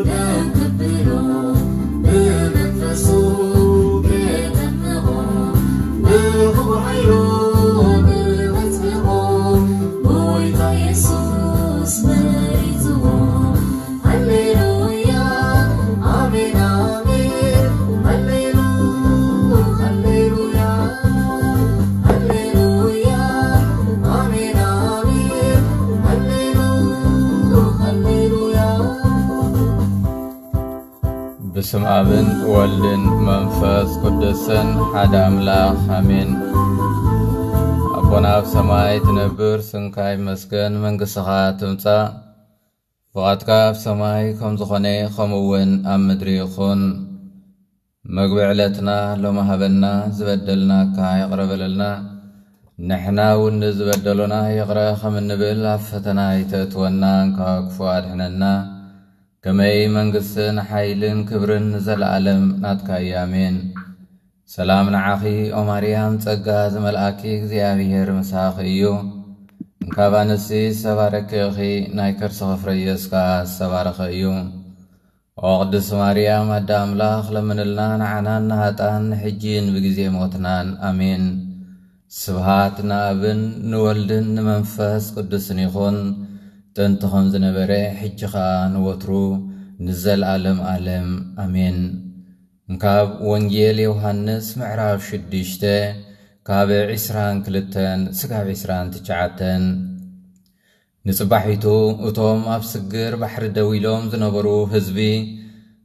ነክብሮ ብመንፈሱ ክጠምቆ ብኽቡር ሓይሉ ብመጽምቆ ጎይታ የሱስ መሪጽዎ። ሃሌሉያ ኣሜን ኣሜን ሃሌሉ ሃሌሉያ ሃሌሉያ ኣሜን ኣሜን ሃሌሉ ሃሌሉያ። ብስም ኣብን ወልድን መንፈስ ቅዱስን ሓደ ኣምላኽ ኣሜን። ኣቦና ኣብ ሰማይ ትነብር፣ ስምካ ይመስገን፣ መንግስትኻ ትምጻእ፣ ፍቓድካ ኣብ ሰማይ ከም ዝኾነ ከምኡ እውን ኣብ ምድሪ ይኹን። መግቢ ዕለትና ሎሚ ሃበና፣ ዝበደልናካ ይቕረ በለልና፣ ንሕና እውን ንዝበደሉና ይቕረ ከም እንብል፣ ኣብ ፈተና ኣይተእትወና፣ እንካ ክፉእ ኣድሕነና። ከመይ መንግስትን ሓይልን ክብርን ንዘለኣለም ናትካ እዩ። ኣሜን። ሰላም ንዓኺ ኦ ማርያም፣ ጸጋ ዝመልኣኪ እግዚኣብሔር ምሳኺ እዩ። እንካብ ኣንስቲ ዝተባረኪ ኢኺ፣ ናይ ከርስኺ ፍረ ኢየሱስ ከኣ ዝተባረኸ እዩ። ኦ ቅድስቲ ማርያም ኣደ ኣምላኽ፣ ለምንልና ንዓናን ንሃጣን፣ ንሕጂን ብግዜ ሞትናን። ኣሜን። ስብሃት ንኣብን ንወልድን ንመንፈስ ቅዱስን ይኹን፣ ጥንቲ ከም ዝነበረ፣ ሕጂ ኸኣ ንወትሩ፣ ንዘለኣለም ኣለም። ኣሜን። እንካብ ወንጌል ዮሃንስ ምዕራፍ ሽዱሽተ ካብ ዕስራን ክልተን ስጋብ ዕስራን ትሽዓተን። ንጽባሒቱ እቶም ኣብ ስግር ባሕሪ ደው ኢሎም ዝነበሩ ህዝቢ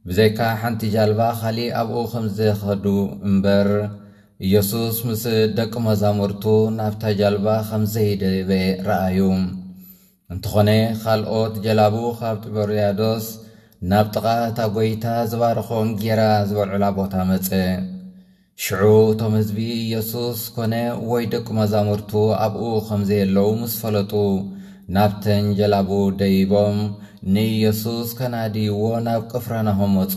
ብዘይካ ሓንቲ ጃልባ ካሊእ ኣብኡ ከም ዝኸዱ እምበር፣ ኢየሱስ ምስ ደቂ መዛሙርቱ ናብታ ጃልባ ከም ዘይደየበ ረኣዩ። እንተኾነ፣ ካልኦት ጀላቡ ካብ ጢበርያዶስ ናብ ጥቓ እታ ጐይታ ዝባረኾ እንጌራ ዝበልዑላ ቦታ መጸ። ሽዑ እቶም ህዝቢ፣ ኢየሱስ ኮነ ወይ ደቂ መዛሙርቱ ኣብኡ ከም ዘየለዉ ምስ ፈለጡ፣ ናብተን ጀላቡ ደይቦም ንኢየሱስ ከናድይዎ ናብ ቅፍርናሆም መጹ።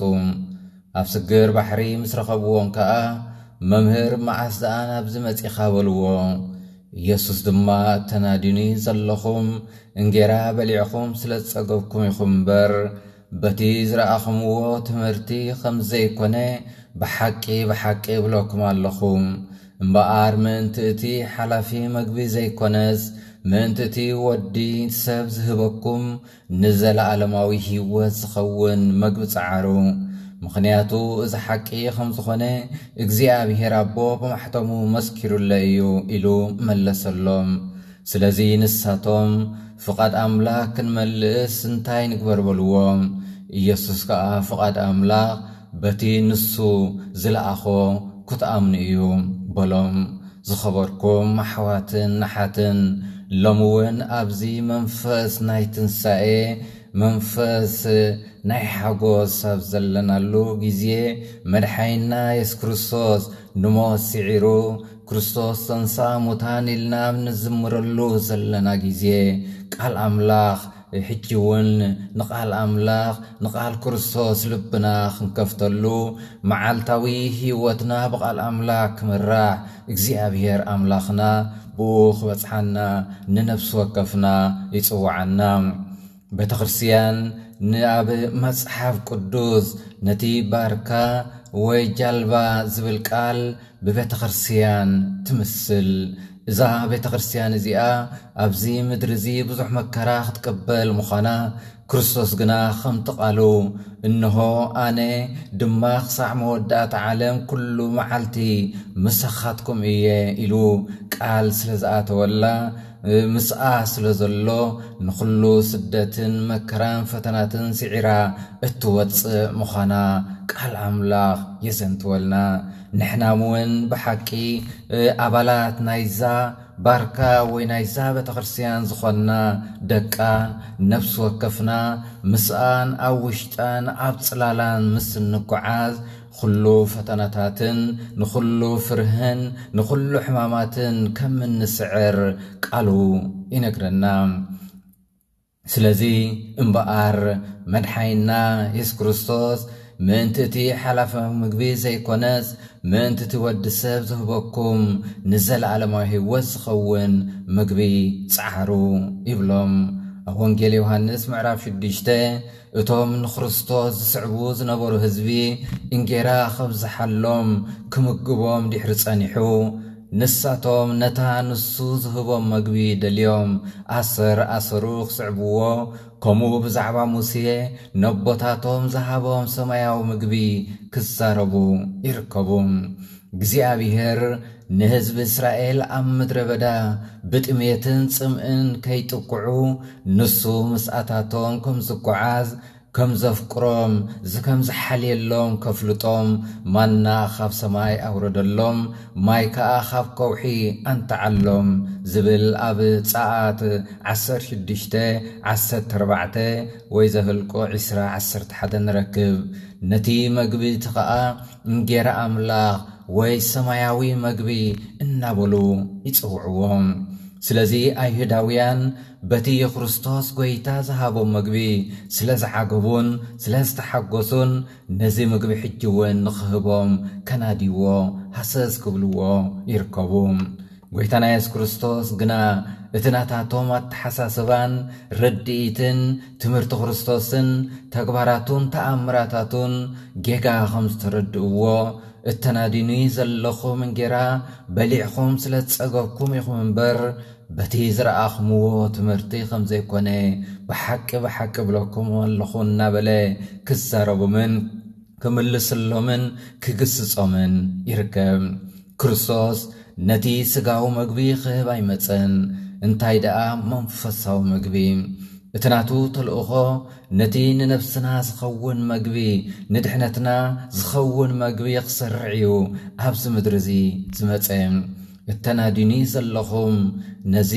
ኣብ ስግር ባሕሪ ምስ ረኸብዎም ከኣ፣ "መምህር፣ መዓስ ደኣ ናብዚ መጺኻ?" በልዎ። ኢየሱስ ድማ፣ "እተናድዩኒ ዘለኹም እንጌራ በሊዕኹም ስለ ዝጸገብኩም ኢኹም እምበር፣ በቲ ዝረኣኹምዎ ትምህርቲ ከም ዘይኮነ ብሓቂ፣ ብሓቂ እብለኩም ኣለኹ። እምበኣር ምእንቲ እቲ ሓላፊ መግቢ ዘይኮነስ፣ ምእንቲ እቲ ወዲ ሰብ ዝህበኩም ንዘለኣለማዊ ህይወት ዝኸውን መግቢ ጸዓሩ። ምኽንያቱ እዚ ሓቂ ከም ዝኾነ እግዚኣብሔር ኣቦ ብማሕተሙ መስኪሩለይ እዩ" ኢሉ መለሰሎም። ስለዚ ንሳቶም፣ "ፍቓድ ኣምላኽ ክንመልእስ እንታይ ንግበር?" በልዎ። ኢየሱስ ከኣ፣ "ፍቓድ ኣምላኽ በቲ ንሱ ዝለኣኾ ክትኣምኑ እዩ" በሎም። ዝኸበርኩም ኣሕዋትን ኣሓትን፣ ሎሚ እውን ኣብዚ መንፈስ ናይ ትንሳኤ፣ መንፈስ ናይ ሓጎስ ኣብ ዘለናሉ ግዜ፣ መድሓኒና የሱስ ክርስቶስ ንሞት ስዒሩ፣ ክርስቶስ ተንሥአ እሙታን ኢልና ኣብ ንዝምረሉ ዘለና ግዜ፣ ቃል ኣምላኽ፣ ሕጂ እውን ንቃል ኣምላኽ፣ ንቃል ክርስቶስ ልብና ክንከፍተሉ፣ መዓልታዊ ህይወትና ብቃል ኣምላኽ ክምራሕ፣ እግዚኣብሔር ኣምላኽና ብኡ ክበጽሓና ንነፍሲ ወከፍና ይጽውዓና። ቤተ ክርስቲያን ንኣብ መጽሓፍ ቅዱስ ነቲ ባርካ ወይ ጃልባ ዝብል ቃል ብቤተ ክርስቲያን ትምስል። እዛ ቤተ ክርስቲያን እዚኣ ኣብዚ ምድሪ እዚ ብዙሕ መከራ ክትቅበል ምዃና፣ ክርስቶስ ግና ከምቲ ቃሉ፣ "እንሆ ኣነ ድማ ክሳዕ መወዳእታ ዓለም ኩሉ መዓልቲ ምሳኻትኩም እየ" ኢሉ ቃል ስለ ዝኣተወላ፣ ምስኣ ስለ ዘሎ፣ ንኹሉ ስደትን መከራን ፈተናትን ስዒራ እትወጽእ ምዃና ቃል ኣምላኽ የዘንትወልና። ንሕና እውን ብሓቂ፣ እ፣ ኣባላት ናይዛ ባርካ ወይ ናይዛ ቤተ ክርስቲያን ዝኾንና ደቃ፣ ነፍሲ ወከፍና ምስኣን ኣብ ውሽጣን ኣብ ጽላላን ምስ እንጓዓዝ፣ ኩሉ ፈተናታትን ንኹሉ ፍርህን ንኹሉ ሕማማትን ከም እንስዕር ቃሉ ይነግረና። ስለዚ እምበኣር መድሓኒና የሱስ ክርስቶስ ምእንቲ እቲ ሓላፊ ምግቢ ዘይኮነስ፣ ምእንቲ እቲ ወዲ ሰብ ዝህበኩም ንዘለኣለማዊ ህይወት ዝኸውን ምግቢ ጸዓሩ ይብሎም። ኣብ ወንጌል ዮሃንስ ምዕራፍ ሽዱሽተ፣ እቶም ንክርስቶስ ዝስዕቡ ዝነበሩ ህዝቢ እንጌራ ከብዝሓሎም ክምግቦም ድሕሪ ጸኒሑ፣ ንሳቶም ነታ ንሱ ዝህቦም መግቢ ደልዮም ኣሰር ኣሰሩ ክስዕብዎ፣ ከምኡ ብዛዕባ ሙሴ ነቦታቶም ዝሃቦም ሰማያዊ ምግቢ ክዛረቡ ይርከቡ። እግዚኣብሔር ንህዝቢ እስራኤል ኣብ ምድረ በዳ ብጥሜትን ጽምእን ከይጥቅዑ፣ ንሱ ምስኣታቶም ከም ዝጓዓዝ፣ ከም ዘፍቅሮም፣ ዝ-፣ ከም ዝሓልየሎም ከፍልጦም፣ ማና ካብ ሰማይ ኣውረደሎም፣ ማይ ከኣ ካብ ከውሒ ኣንተዓሎም ዝብል ኣብ ጸኣት ዓሰርተ ሽዱሽተ ዓሰርተ ኣርባዕተ ወይ ዘህልቆ ዕስራ ዓሰርተ ሓደ ንረክብ። ነቲ መግቢ እቲ ኸኣ እንጌራ ኣምላኽ ወይ ሰማያዊ መግቢ እናበሉ ይጽውዕዎ። ስለዚ ኣይሁዳውያን በቲ የክርስቶስ ጐይታ ዝሃቦም መግቢ ስለ ዝዓገቡን ስለ ዝተሓጎሱን፣ ነዚ ምግቢ ሕጂ እውን ንኽህቦም ከናድይዎ ሃሰስ ክብልዎ ይርከቡ። ጐይታና የሱስ ክርስቶስ ግና እቲ ናታቶም ኣተሓሳስባን ርድኢትን ትምህርቲ ክርስቶስን ተግባራቱን ተኣምራታቱን ጌጋ ከም ዝተረድእዎ፣ እተናዲኒ ዘለኹም እንጌራ በሊዕኹም ስለ ዝጸገብኩም ኢኹም እምበር፣ በቲ ዝረኣኹምዎ ትምህርቲ ከም ዘይኮነ ብሓቂ ብሓቂ እብለኩም ኣለኹ እናበለ ክዛረቦምን ክምልስሎምን ክግስጾምን ይርከብ። ክርስቶስ ነቲ ስጋዊ መግቢ ክህብ ኣይመጸን፣ እንታይ ደኣ መንፈሳዊ መግቢ። እቲ ናቱ ተልእኾ ነቲ ንነብስና ዝኸውን መግቢ፣ ንድሕነትና ዝኸውን መግቢ ክሰርዕ እዩ ኣብዚ ምድሪ እዚ ዝመጸ። እተናዲኒ ዘለኹም ነዚ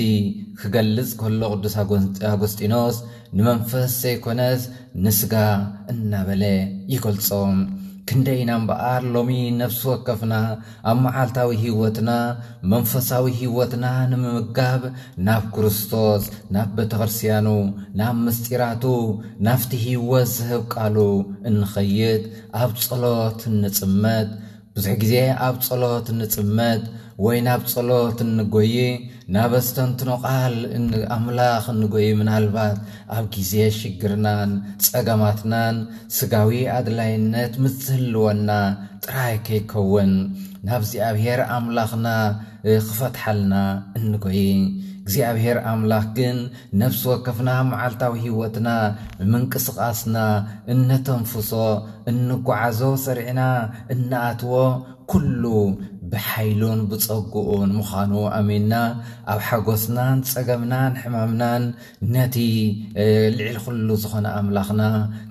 ክገልጽ ከሎ ቅዱስ ኣጎን-፣ ኣጎስጢኖስ ንመንፈስ ዘይኮነስ ንስጋ እናበለ ይገልጾ። ክንደይ ኢና እምበኣር ሎሚ ነፍሲ ወከፍና ኣብ መዓልታዊ ህይወትና፣ መንፈሳዊ ህይወትና ንምምጋብ ናብ ክርስቶስ፣ ናብ ቤተ ክርስቲያኑ፣ ናብ ምስጢራቱ፣ ናብቲ ህይወት ዝህብ ቃሉ እንኸይድ፣ ኣብ ጸሎት እንጽመድ። ብዙሕ ግዜ ኣብ ጸሎት እንጽመድ ወይ ናብ ጸሎት እንጎይ፣ ናብ ኣስተንትኖ ቃል እን-፣ ኣምላኽ እንጎይ፣ ምናልባት ኣብ ግዜ ሽግርናን ጸገማትናን ስጋዊ ኣድላይነት ምስ ዝህልወና ጥራይ ከይከውን፣ ናብ እግዚኣብሔር ኣምላኽና፣ እ፣ ክፈትሓልና እንጎይ። እግዚኣብሔር ኣምላኽ ግን ነፍሲ ወከፍና መዓልታዊ ህይወትና፣ ምንቅስቓስና፣ እነተንፍሶ፣ እንጓዓዞ፣ ሰሪዕና እንኣትዎ፣ ኩሉ ብሓይሉን ብጸግኡን ምዃኑ ኣሚንና፣ ኣብ ሓጎስናን ጸገምናን ሕማምናን ነቲ፣ እ፣ ልዕሊ ኩሉ ዝኾነ ኣምላኽና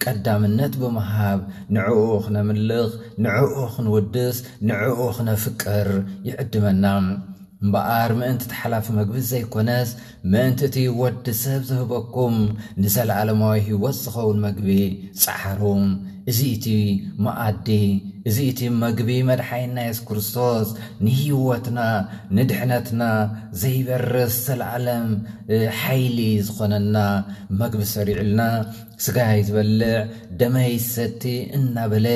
ቀዳምነት ብምሃብ፣ ንዕኡ ክነምልኽ፣ ንዕኡ ክንውድስ፣ ንዕኡ ክነፍቅር ይዕድመና። እምበኣር ምእንቲ እቲ ሓላፊ መግቢ ዘይኮነስ፣ ምእንቲ እቲ ወዲ ሰብ ዝህበኩም ንዘለኣለማዊ ህይወት ዝኸውን መግቢ ጸዓሩ። እዚ እቲ መኣዲ፣ እዚ እቲ መግቢ መድሓኒና የሱስ ክርስቶስ ንህይወትና፣ ንድሕነትና ዘይበርስ ዘለኣለም፣ እ፣ ሓይሊ ዝኾነና መግቢ ሰሪዑልና፣ ስጋይ ዝበልዕ ደመይ ዝሰቲ እናበለ፣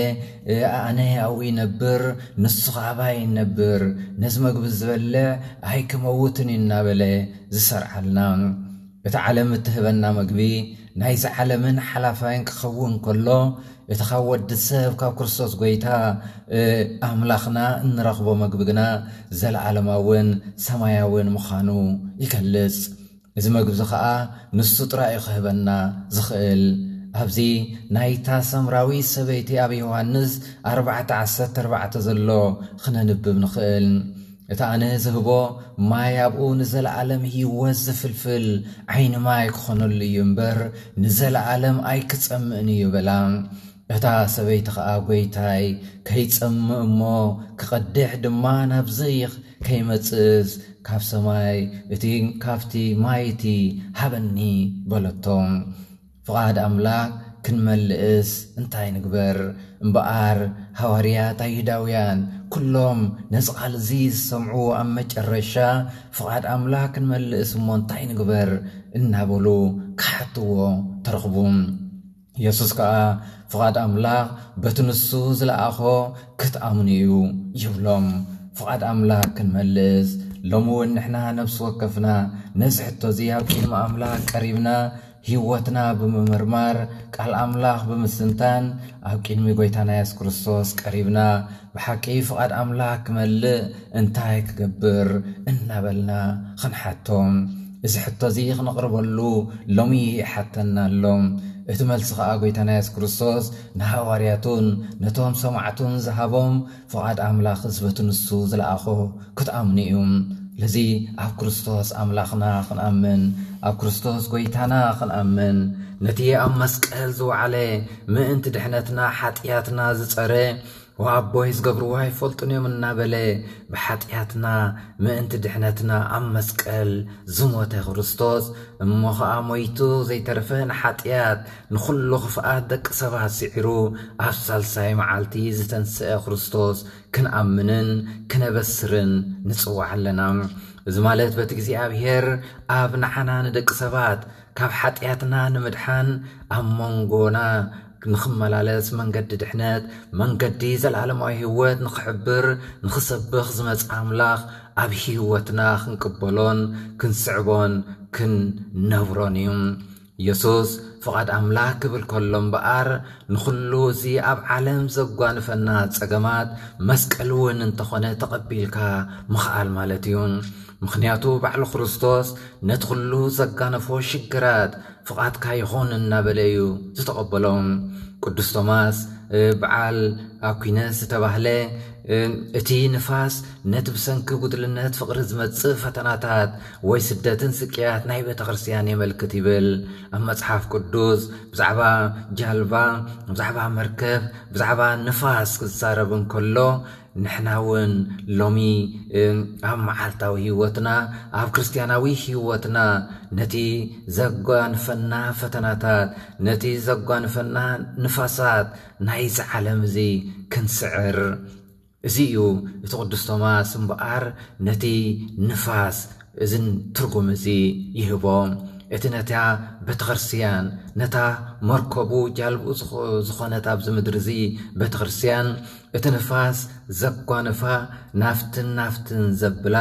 እ፣ ኣነ ኣብኡ ይነብር፣ ንሱ ኸኣ ኣባይ ይነብር፣ ነዚ መግቢ ዝበልዕ ኣይክመውትን እዩ እናበለ ዝሰርዓልና። እቲ ዓለም እትህበና መግቢ ናይዚ ዓለምን ሓላፋይን ክኸውን ከሎ፣ እቲ ካብ ወዲ ሰብ ካብ ክርስቶስ ጐይታ፣ እ፣ ኣምላኽና እንረኽቦ መግቢ ግና ዘለኣለማውን ሰማያውን ምዃኑ ይገልጽ። እዚ መግቢ እዚ ኸኣ ንሱ ጥራይ እዩ ክህበና ዝኽእል። ኣብዚ ናይታ ሰምራዊት ሰበይቲ ኣብ ዮሃንስ ኣርባዕተ ዓሰርተ ኣርባዕተ ዘሎ ክነንብብ ንኽእል። እቲ ኣነ ዝህቦ ማይ ኣብኡ ንዘለኣለም ህይወት ዝፍልፍል ዓይኒ ማይ ክኾነሉ እዩ እምበር፣ ንዘለኣለም ኣይክጸምእን እዩ በላ። እታ ሰበይቲ ኸኣ፣ "ጐይታይ፣ ከይጸምእ እሞ ክቐድሕ ድማ ናብዚ ከይመጽእስ፣ ካብ ሰማይ እቲ፣ ካብቲ ማይ እቲ ሃበኒ" በለቶ። ፍቓድ ኣምላኽ ክንመልእስ እንታይ ንግበር? እምበኣር፣ ሃዋርያት ኣይሁዳውያን ኩሎም ነዚ ቃል እዚ ዝሰምዑ፣ ኣብ መጨረሻ፣ "ፍቓድ ኣምላኽ ክንመልእስ እሞ እንታይ ንግበር?" እናበሉ ክሓትዎ ተረኽቡ። የሱስ ከኣ፣ "ፍቓድ ኣምላኽ በቲ ንሱ ዝለኣኾ ክትኣምኑ እዩ" ይብሎም። ፍቓድ ኣምላኽ ክንመልስ፣ ሎሚ እውን ንሕና ነፍሲ ወከፍና ነዚ ሕቶ እዚ ኣብ ቅድሚ ኣምላኽ ቀሪብና፣ ህይወትና ብምምርማር፣ ቃል ኣምላኽ ብምስንታን፣ ኣብ ቅድሚ ጎይታና የሱስ ክርስቶስ ቀሪብና፣ ብሓቂ ፍቓድ ኣምላኽ ክመልእ እንታይ ክገብር እናበልና ኽንሓቶ። እዚ ሕቶ እዚ ኽነቕርበሉ ሎሚ ይሓተና ኣሎ። እቲ መልሲ ኸኣ ጎይታና የሱስ ክርስቶስ ንሃዋርያቱን ነቶም ሰማዕቱን ዝሃቦም ፍቓድ ኣምላኽ ዝበቲ ንሱ ዝለኣኾ ክትኣምኑ እዩ። ስለዚ ኣብ ክርስቶስ ኣምላኽና ክንኣምን፣ ኣብ ክርስቶስ ጎይታና ክንኣምን፣ ነቲ ኣብ መስቀል ዝወዓለ ምእንቲ ድሕነትና ሓጢኣትና ዝጸረ፣ ወኣቦይ ዝገብርዎ ኣይፈልጡን እዮም እናበለ ብሓጢኣትና ምእንቲ ድሕነትና ኣብ መስቀል ዝሞተ ክርስቶስ እሞ ኸኣ ሞይቱ ዘይተረፈ ንሓጢኣት ንኹሉ ኽፍኣት ደቂ ሰባት ስዒሩ ኣብ ሳልሳይ መዓልቲ ዝተንስአ ክርስቶስ ክንኣምንን ክነበስርን ንጽዋዕ ኣለና። እዚ ማለት በቲ እግዚኣብሔር ኣብ ንዓና ንደቂ ሰባት ካብ ሓጢኣትና ንምድሓን ኣብ መንጎና ንኽመላለስ መንገዲ ድሕነት መንገዲ ዘለዓለማዊ ህይወት ንኽሕብር ንኽሰብኽ ዝመጽእ ኣምላኽ ኣብ ህይወትና ክንቅበሎን ክንስዕቦን ክንነብሮን እዩ። የሱስ ፍቓድ ኣምላኽ ክብል ከሎ እምበኣር ንኹሉ እዚ ኣብ ዓለም ዘጓንፈና ጸገማት መስቀል እውን እንተኾነ ተቐቢልካ ምኽኣል ማለት እዩ። ምኽንያቱ ባዕሉ ክርስቶስ ነቲ ኩሉ ዘጋነፎ ሽግራት ፍቓድካ ይኹን እናበለ እዩ ዝተቐበሎም። ቅዱስ ቶማስ በዓል ኣኩይነስ ዝተባህለ እቲ ንፋስ ነቲ ብሰንኪ ጉድልነት ፍቕሪ ዝመጽእ ፈተናታት ወይ ስደትን ስቅያት ናይ ቤተ ክርስቲያን የመልክት ይብል። ኣብ መጽሓፍ ቅዱስ ብዛዕባ ጃልባ፣ ብዛዕባ መርከብ፣ ብዛዕባ ንፋስ ክዛረብ እንከሎ ንሕና እውን ሎሚ ኣብ መዓልታዊ ህይወትና ኣብ ክርስቲያናዊ ህይወትና ነቲ ዘጓንፈና ፈተናታት ነቲ ዘጓንፈና ንፋሳት ናይዚ ዓለም እዚ ክንስዕር እዚ እዩ እቲ ቅዱስ ቶማስ እምበኣር ነቲ ንፋስ እዝን ትርጉም እዚ ይህቦ። እቲ ነታ ቤተክርስትያን ነታ መርከቡ ጃልብኡ ዝኾነት ኣብዚ ምድሪ እዚ ቤተክርስትያን እቲ ንፋስ ዘጓንፋ ናፍትን ናፍትን ዘብላ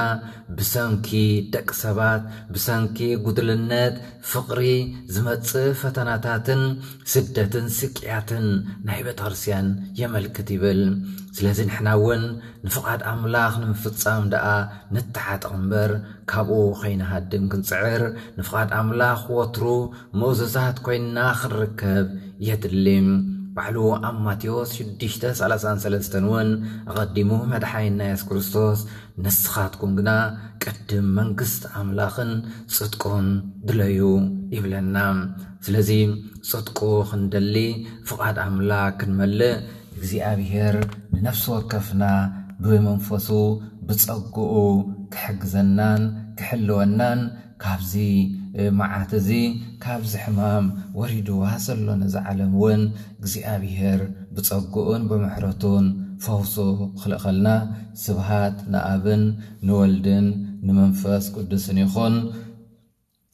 ብሰንኪ ደቂ ሰባት ብሰንኪ ጉድልነት ፍቕሪ ዝመጽእ ፈተናታትን ስደትን ስቅያትን ናይ ቤተክርስትያን የመልክት ይብል። ስለዚ ንሕና እውን ንፍቓድ ኣምላኽ ንምፍጻም ደኣ ንተዓጠቕ እምበር ካብኡ ኸይንሃድም ክንጽዕር ንፍቓድ ኣምላኽ ወትሩ ምእዙዛት ኮይንና ክንርከብ የድሊ። ባዕሉ ኣብ ማቴዎስ ሽዱሽተ ሰላሳን ሰለስተን እውን ኣቐዲሙ መድሓኒና የሱስ ክርስቶስ ንስኻትኩም ግና ቅድም መንግስቲ ኣምላኽን ጽድቁን ድለዩ ይብለና። ስለዚ ጽድቁ ክንደሊ ፍቓድ ኣምላኽ ክንመልእ እግዚኣብሔር ንነፍሲ ወከፍና ብመንፈሱ ብጸግኡ ክሕግዘናን ክሕልወናን ካብዚ መዓት እዚ ካብዚ ሕማም ወሪድዋ ዘሎ ነዛ ዓለም እውን እግዚኣብሔር ብጸግኡን ብምሕረቱን ፈውሱ ክልእኸልና ስብሃት ንኣብን ንወልድን ንመንፈስ ቅዱስን ይኹን።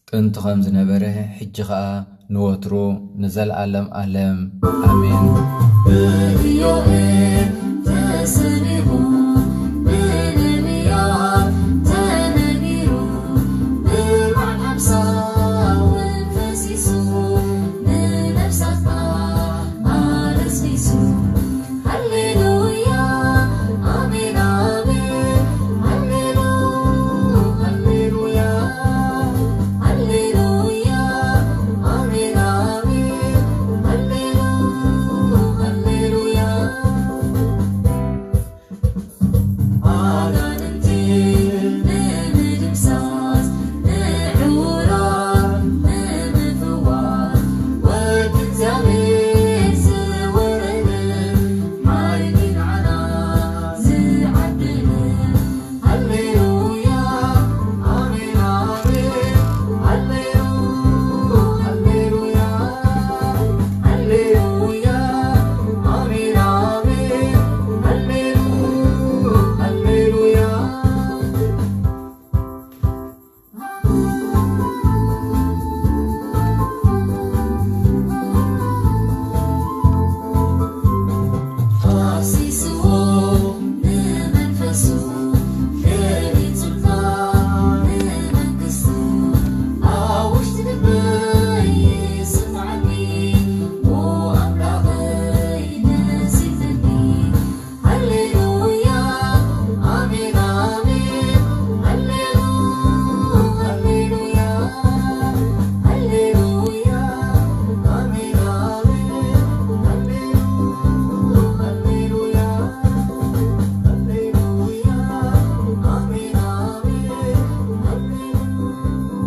ጥንቲ ከም ዝነበረ ሕጂ ኸኣ ንወትሩ ንዘለኣለም ኣለም ኣሜን።